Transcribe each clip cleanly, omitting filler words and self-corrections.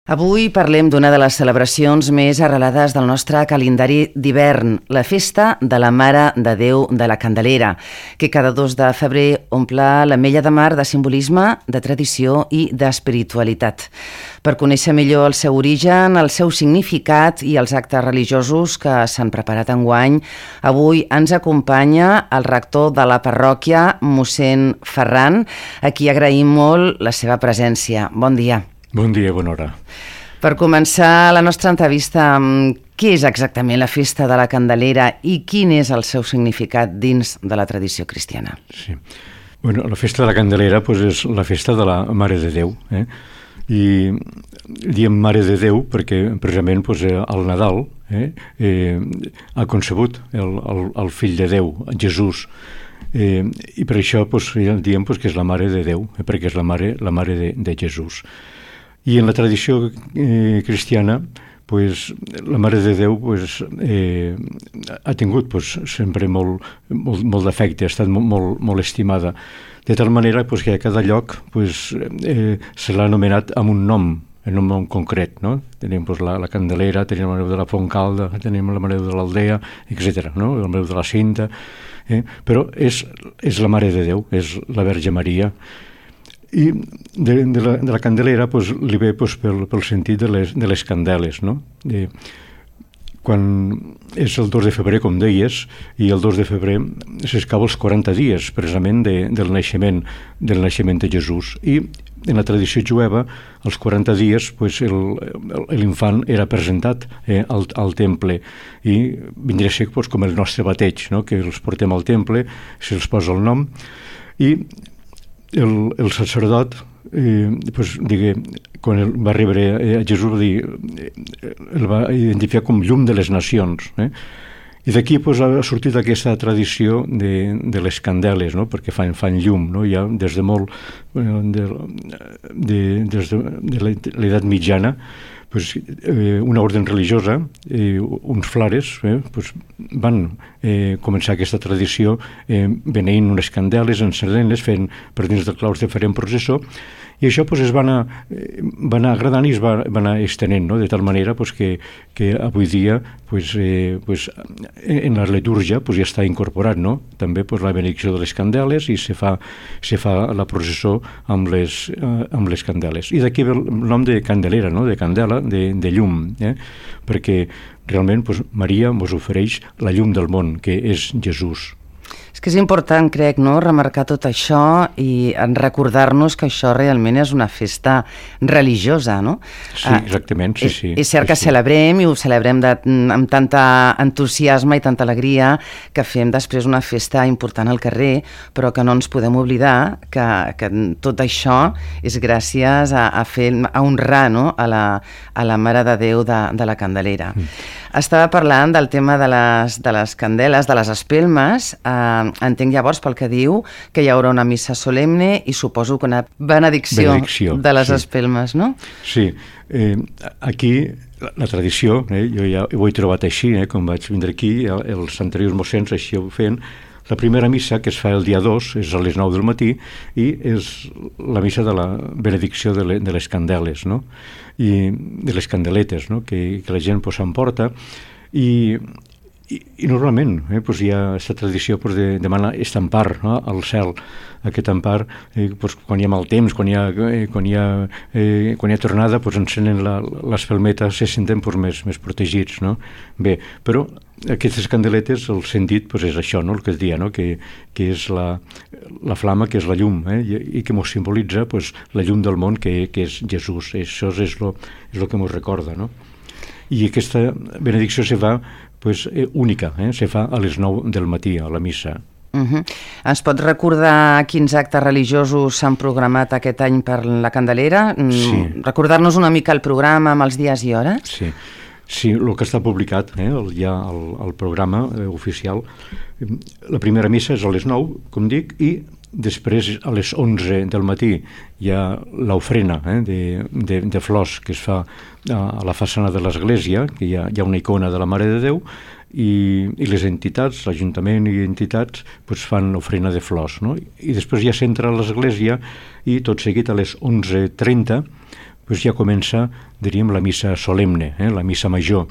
Avui parlem d'una de les celebracions més arrelades del nostre calendari d'hivern, la Festa de la Mare de Déu de la Candelera, que cada 2 de febrer omple l'Ametlla de Mar de simbolisme, de tradició i d'espiritualitat. Per conèixer millor el seu origen, el seu significat i els actes religiosos que s'han preparat enguany, avui ens acompanya el rector de la parròquia, mossèn Ferran, a qui agraïm molt la seva presència. Bon dia. Bon dia, bona hora. Per començar la nostra entrevista, què és exactament la Festa de la Candelera i quin és el seu significat dins de la tradició cristiana? Sí. Bueno, la Festa de la Candelera és la festa de la Mare de Déu. I diem Mare de Déu perquè precisament al Nadal ha concebut el fill de Déu, Jesús. I per això diem que és la Mare de Déu, perquè és la mare de Jesús. I en la tradició cristiana, la Mare de Déu ha tingut sempre molt d'afecte, ha estat molt estimada, de tal manera que a cada lloc se l'ha anomenat amb un nom, en un nom concret, no? Tenim la Candelera, tenim la Mare de la Fontcalda, tenim la Mare de l'Aldea, etc., no? La Mare de la Cinta, però és la Mare de Déu, és la Verge Maria. I de la Candelera li ve pel sentit de les candeles, no? Quan és el 2 de febrer, com deies, i el 2 de febrer s'escau els 40 dies, precisament, del naixement de Jesús. I en la tradició jueva, als 40 dies, l'infant era presentat al temple i vindria a ser com el nostre bateig, no? Que els portem al temple, se'ls posa el nom, i el sacerdot, quan va rebre a Jesús, el va identificar com llum de les nacions. I d'aquí ha sortit aquesta tradició de les candeles, no? Perquè fan llum, no? Ja des de molt, des de l'edat mitjana, una orde religiosa, uns flares, van començar aquesta tradició beneint unes candeles, encendent-les, fent per dins del claustre, farem processó, i això es va anar agradant i es va anar estenent, no? De tal manera que avui dia en la litúrgia ja està incorporat, no? També la benedicció de les candeles i se fa la processó amb les candeles. I d'aquí ve el nom de Candelera, no? De candela, de llum, perquè realment Maria ens ofereix la llum del món, que és Jesús. És que és important, crec, no?, remarcar tot això i recordar-nos que això realment és una festa religiosa, no? Sí, exactament, sí. És cert que celebrem i ho celebrem amb tanta entusiasme i tanta alegria que fem després una festa important al carrer, però que no ens podem oblidar que tot això és gràcies a honrar, no?, a la Mare de Déu de la Candelera. Estava parlant del tema de les candeles, de les espelmes. Entenc llavors pel que diu que hi haurà una missa solemne i suposo que una benedicció de les espelmes, no? Sí, aquí la tradició, jo ja ho he trobat així, com vaig vindre aquí, els anteriors mossens així ho feien. La primera missa, que es fa el dia 2, és a les 9 del matí, i és la missa de la benedicció de les candeles, no? I de les candeletes, no? Que la gent s'emporta, i normalment hi ha aquesta tradició de demanar aquest empar, no? Al cel, aquest empar, quan hi ha mal temps, quan hi ha tornada, encenen l'espelmeta, se senten més protegits, no? Bé, però aquestes candeletes, el sentit és això, no? El que es dia, no? Que és la flama, que és la llum, i que ens simbolitza la llum del món, que és Jesús. Això és el que ens recorda, no? I aquesta benedicció se fa única, se fa a les 9 del matí, a la missa. Ens pots recordar quins actes religiosos s'han programat aquest any per la Candelera? Sí. Recordar-nos una mica el programa amb els dies i hores? Sí, el que està publicat, ja el programa oficial. La primera missa és a les 9, com dic, i després a les 11 del matí hi ha l'ofrena de flors que es fa a la façana de l'església, que hi ha una icona de la Mare de Déu, i les entitats, l'Ajuntament i entitats, fan l'ofrena de flors, no? I després ja s'entra a l'església i tot seguit a les 11:30 pues ja comença, diríem, la missa solemne, la missa major.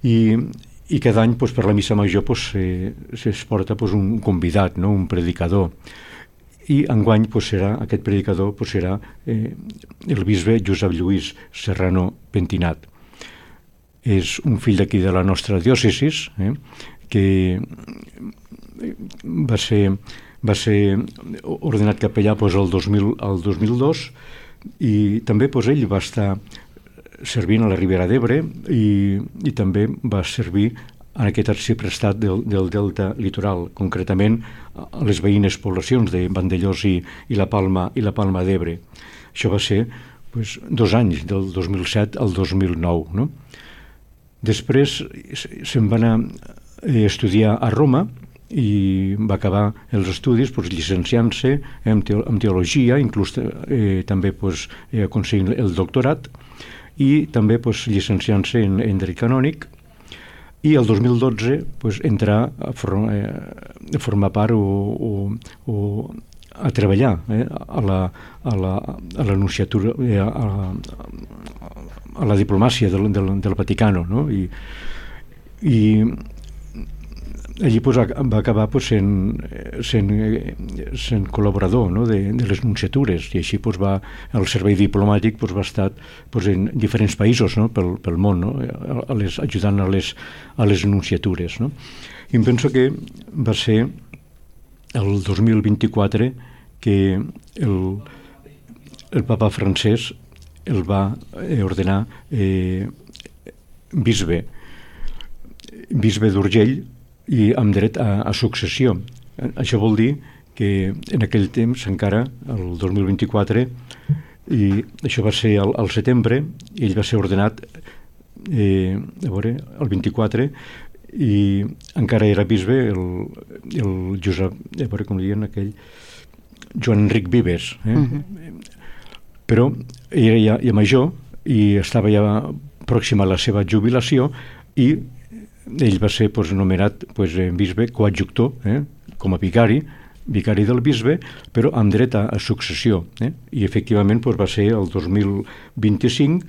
I cada any pues, per la missa major pues, es porta pues, un convidat, no? Un predicador. I enguany pues, aquest predicador pues, serà el bisbe Josep Lluís Serrano Pentinat. És un fill d'aquí de la nostra diòcesis, que va ser ordenat capellà pues, el 2002, i també pues, ell va estar servint a la Ribera d'Ebre i també va servir en aquest arxiprestat del delta litoral, concretament a les veïnes poblacions de Vandellòs i la Palma d'Ebre. Això va ser pues, 2 anys, del 2007 al 2009. No? Després se'n va anar a estudiar a Roma i va acabar els estudis pues, llicenciant-se en teologia, inclús també pues, aconseguint el doctorat, i també pues, llicenciant-se en dret canònic, i el 2012 pues, entrar a formar part o a treballar a la nunciatura, a la diplomàcia del Vaticano, no? I allí pues, va acabar pues, sent col·laborador, no? de les nunciatures, i així pues, el servei diplomàtic pues, va estar pues, en diferents països, no? pel món, no? Ajudant a les nunciatures. No? I em penso que va ser el 2024 que el papa francès el va ordenar bisbe d'Urgell, i amb dret a successió. Això vol dir que en aquell temps encara, el 2024, i això va ser al setembre, i ell va ser ordenat el 24, i encara era bisbe el Josep, com diuen aquell, Joan Enric Vives. Però era ja major i estava ja pròxima a la seva jubilació, i ell va ser pues, nomenat pues, bisbe coadjuctor, com a vicari del bisbe, però amb dret a successió. I efectivament pues, va ser el 2025,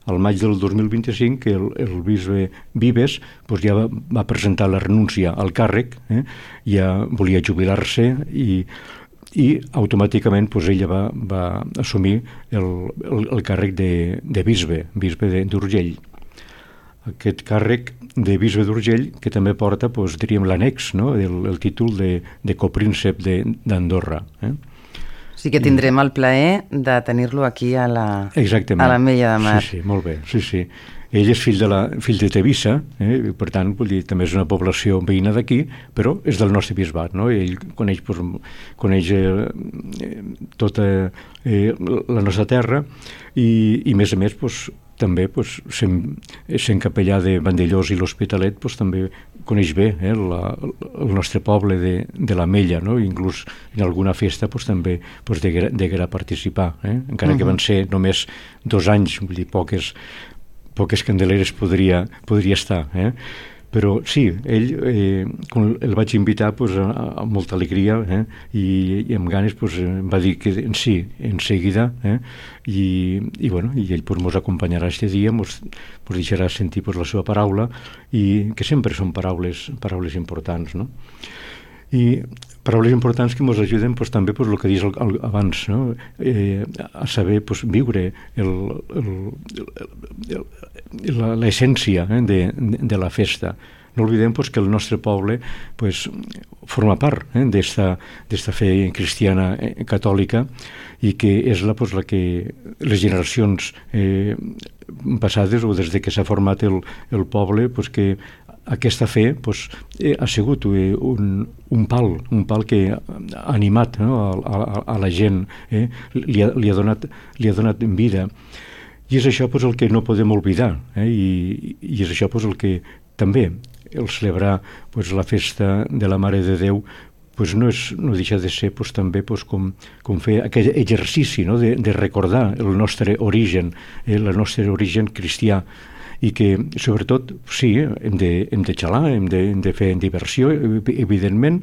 al maig del 2025, que el bisbe Vives pues, ja va presentar la renúncia al càrrec, ja volia jubilar-se, i automàticament pues, ella va assumir el càrrec de bisbe d'Urgell. Aquest càrrec de bisbe d'Urgell, que també porta, doncs, diríem, l'annex, no? el títol de copríncep d'Andorra. Sí que tindrem el plaer de tenir-lo aquí a l'Ametlla de Mar. Sí, molt bé. Sí. Ell és fill de Tevissa, per tant, vull dir, també és una població veïna d'aquí, però és del nostre bisbat, no? Ell coneix tota la nostra terra i més a més, també, sent capellà de Vandellòs i l'Hospitalet, també coneix bé el nostre poble de l'Ametlla, no? Inclús en alguna festa també deguera participar, encara que van ser només 2 anys, vull dir, poques candeleres podria estar, però sí, ell el vaig invitar amb molta alegria, i amb ganes em va dir que sí, en seguida, i ell mos acompanyarà aquest dia, mos deixarà sentir la seva paraula, i que sempre són paraules importants, no? I paraules importants que ens ajuden també el que dius abans, no? A saber viure l'essència de la festa. No oblidem que el nostre poble forma part d'esta fe cristiana catòlica, i que és la que les generacions passades, o des que s'ha format el poble, que aquesta fe ha sigut un pal que ha animat, no? a la gent, li ha donat vida. I és això el que no podem oblidar, i és això el que també el celebrar la festa de la Mare de Déu no deixa de ser també com fer aquell exercici, no? de recordar el nostre origen, el nostre origen cristià, i que, sobretot, sí, hem de xalar, hem de fer diversió, evidentment,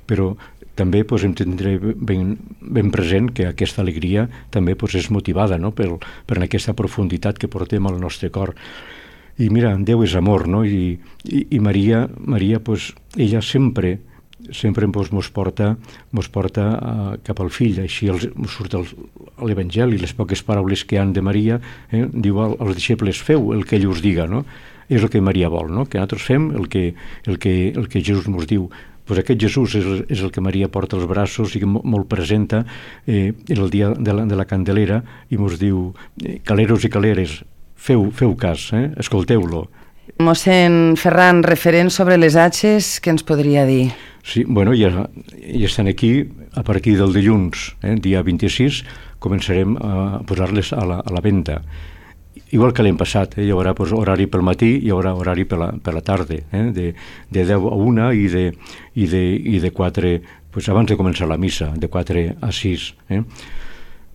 però també doncs, hem de tindre ben present que aquesta alegria també doncs, és motivada, no? per aquesta profunditat que portem al nostre cor. I mira, Déu és amor, no? I Maria doncs, ella sempre mos porta cap al fill. Així surt l'Evangeli, les poques paraules que han de Maria, diu als deixebles, feu el que ell us diga, no? És el que Maria vol, no? Que nosaltres fem el que Jesús mos diu. Pues aquest Jesús és el que Maria porta als braços i que molt presenta el dia de la Candelera, i mos diu, caleros i caleres, feu cas, escolteu-lo. Mossèn Ferran, referent sobre les atxes, què ens podria dir? Sí, bueno, ja estan aquí. A partir del dilluns, dia 26, començarem a posar-les a la venda. Igual que l'any passat, hi haurà horari pel matí, hi haurà horari per la tarda, de 10 a 1 i de 4, abans de començar la missa, de 4 a 6.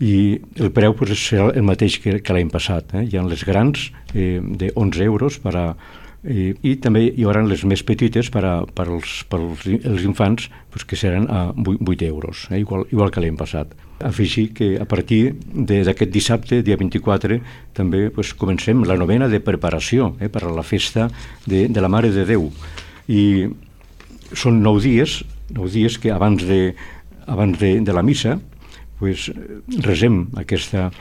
I el preu serà el mateix que l'any passat. Hi ha les grans de 11 euros i també hi haurà les més petites per als infants, que seran a 8 euros, igual que l'any passat. Afegir que a partir d'aquest dissabte, dia 24, també comencem la novena de preparació per a la festa de la Mare de Déu. I són 9 dies que abans de la missa resem aquesta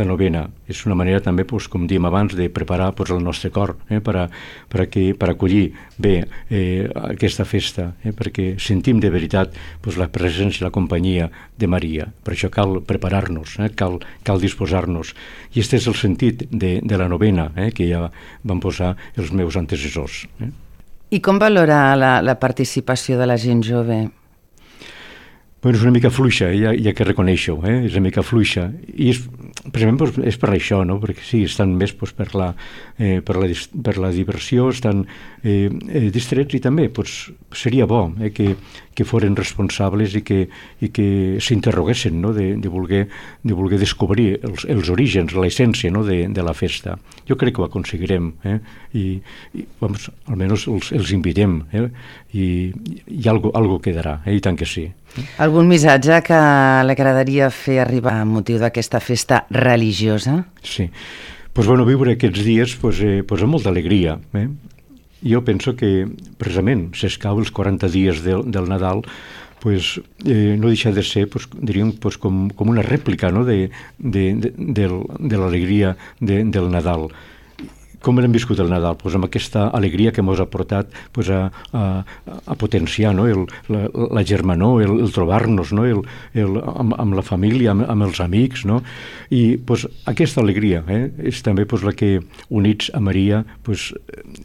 novena. És una manera també, com diem abans, de preparar el nostre cor per acollir bé aquesta festa, perquè sentim de veritat la presència i la companyia de Maria. Per això cal preparar-nos, cal disposar-nos. I aquest és el sentit de la novena que ja van posar els meus antecessors. I com valora la participació de la gent jove? És una mica fluixa, ja que reconeixo, és una mica fluixa. I precisament és per això, no? Perquè sí, estan més per la diversió, estan distrets, i també seria bo que foren responsables i que s'interroguessin, no? de voler descobrir els orígens, l'essència, no? de la festa. Jo crec que ho aconseguirem, i almenys els invitem, i algo quedarà, i tant que sí. Algun missatge que li agradaria fer arribar amb motiu d'aquesta festa religiosa? Sí. Viure aquests dies amb molta alegria. Jo penso que precisament s'escau els 40 dies del Nadal, no deixa de ser, diríem, com una rèplica, no? de l'alegria del Nadal. Com hem viscut el Nadal? Amb aquesta alegria que ens ha portat a potenciar, no? la germanor, el trobar-nos, no? amb la família, amb els amics, no? I aquesta alegria és també la que, units a Maria,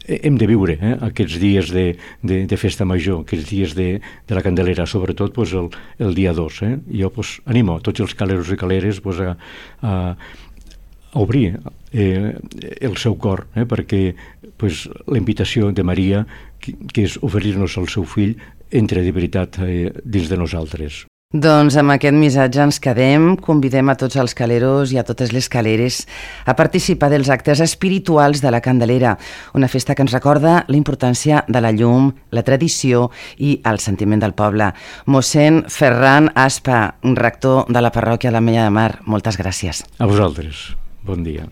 hem de viure aquests dies de festa major, aquests dies de la Candelera, sobretot el dia 2. Jo animo tots els caleros i caleres a obrir el seu cor, perquè la invitació de Maria, que és oferir-nos el seu fill, entre de veritat dins de nosaltres. Doncs amb aquest missatge ens quedem. Convidem a tots els caleros i a totes les caleres a participar dels actes espirituals de la Candelera, una festa que ens recorda la importància de la llum, la tradició i el sentiment del poble. Mossèn Ferran Aspa, rector de la parròquia de l'Ametlla de Mar, moltes gràcies. A vosaltres. Bon dia.